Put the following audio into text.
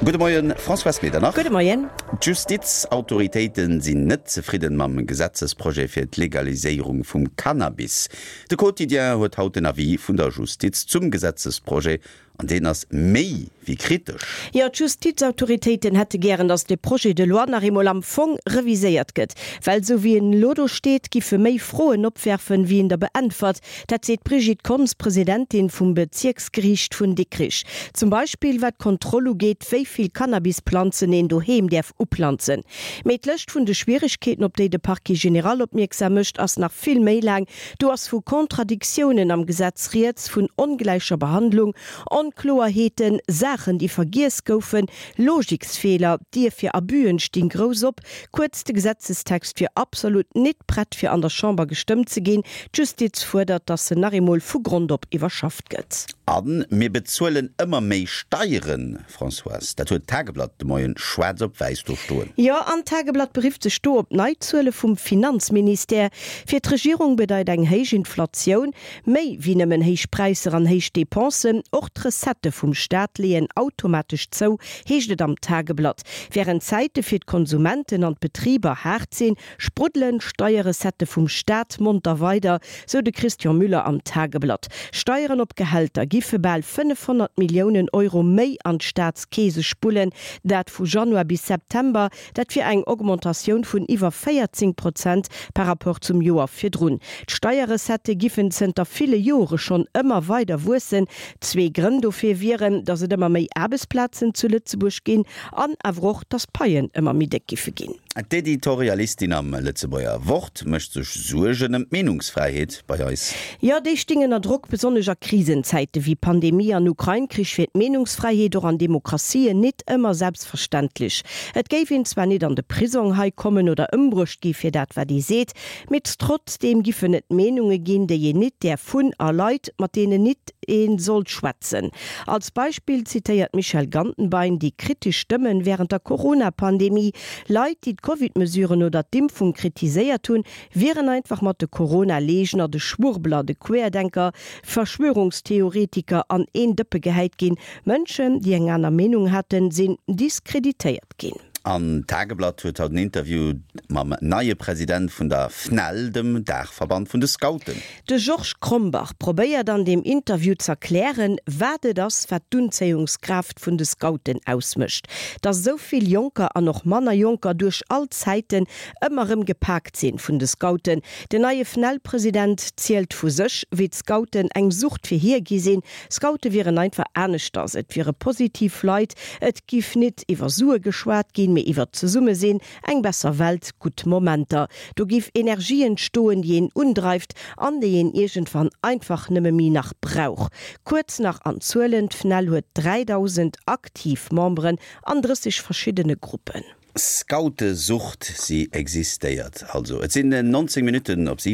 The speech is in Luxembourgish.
Gudde Moien, Françoise Medernach. Gudde Moien. D'Justizautoritéite sinn net zefridden mam Gesetzesprojet fir d'Legaliséierung vum Cannabis. De Quotidien huet haut den Avis vun der Justiz zum Gesetzesprojet an deen ass méi wéi kritesch. Jo, d'Justizautoritéiten hätte gären, datt de Projet de loi nach eemol am Fong reviséiert gëtt. Well esou wéi en elo do steet, giffe méi Froen opwerfen, wéi en der beäntwert. Dat seet d'Brigitte Konz, Presidentin vum Bezierksgeriicht vun Dikrich. Zum Beispill wat d'Kontroll ugeet, wéi vill Cannabisplanzen een doheem däerf uplanzen. Mee d'Lëscht vun de Schwieregkeeten, op déi de Parquet général opmierksam mécht, ass nach vill méi laang. Do ass vu Kontradiktiounen am Gesetz rieds, vun ongläicher Behandlung, Onkloerheeten, Saachen, déi vergiess goufen, Logiksfeeler, d'Dier fir Abüen stinn grouss op. Kuerz, de Gesetzestext wier absolut nit prett fir an der Chamber gestëmmt ze ginn. D'Justiz fuerdert, datt en nach eemol vu Grond op iwwerschafft gëtt. A mir bezuelen ëmmer méi Steieren, Françoise. Dat huet d'Tageblatt de Moien schwaarz op wäiss do stoen. Jo, an d'Tageblatt berifft sech do op nei Zuele vum Finanzministère. Fir d'Regierung bedeit eng héich Inflatioun méi wéi nëmmen héich Präisser an héich Depensen. Och d'Recettë vum Staat leeën automatesch zou, heescht et am Tageblatt. Wärend d'Zäite fir d'Konsumenten an d'Betriber haart sinn, spruddelen d'Steierrecettë vum Staat monter weider, sou de Christian Müller am Tageblatt. Steieren op Gehälter giffe bal 500 Milliounen Euro méi an d'Staatskeese spullen, dat vu Januar bis September. Dat wier eng Augmentatioun vun iwwer 14 Prozent par rapport zum Joer virdrun. D'Steierrecettë giffen zënter ville Jore schonn ëmmer weider wuessen. Zwee Grënn dofir wieren, datt et ëmmer méi Aarbechtsplazen zu Lëtzebuerg ginn an awer och, datt d'Paien ëmmer méi déck giffe ginn. D'Editorialistin am Lëtzebuerger Wort mécht sech Suergen ëm d'Meenungsfräiheet bei eis. Jo, déi sting ënner Drock. Besonnesch a Krisenzäite wéi Pandemie an Ukrain-Krich wier d'Meenungsfräiheet och an Demokratien nit ëmmer selbstverständlech. Et géif een zwar nit an de Prisong hei kommen oder ëmbruecht gi fir dat wat ee seet, mee trotzdeem giffen et Meenunge ginn, déi een nit däerf hunn a Leit, mat deenen nit ee sollt schwätzen. Als Beispill zitéiert d'Michèle Gantenbein déi kritesch Stëmmen wärend der Corona-Pandemie. Leit, déi d'Covid-Mesuren oder d'Impfung kritiséiert hunn, wieren einfach mat de Corona-Leegner, de Schwurbler, de Querdenker, Verschwörungstheoretiker an een Dëppe gehäit ginn. Mënschen, déi eng aner Meenung haten, sinn diskreditéiert ginn. An d'Tageblatt huet haut en Interview mam neie President vun der FNEL, dem Daachverband vun de Scouten. De Georges Krombach probéiert an deem Interview z'erklären, wat et ass, wat d'Unzéiungskraaft vun de Scouten ausmécht. Dass esou vill Jonker an och manner Jonker duerch all Zäiten ëmmer erëm gepaakt sinn vun de Scouten. Den neie FNEL-President zielt vu sech, wéi d'Scouten eng Sucht fir hie gi sinn. Scoute wieren einfach aneschters, et wiere positiv Leit, et giff nit iwwer Sue geschwat ginn, mee iwwer d'Zesummesinn, Eng besser Welt, gutt Momenter. Do giff Energie entstoen, déi een undreift an déi een iergendwann einfach nëmme méi nach brauch. Kuerz nach an Zuelen, D'FNEL huet 3.000 aktiv Memberen an 30 verschiddene Gruppen. Scoutesucht, si existéiert also. Et sinn 19 Minutten op 7.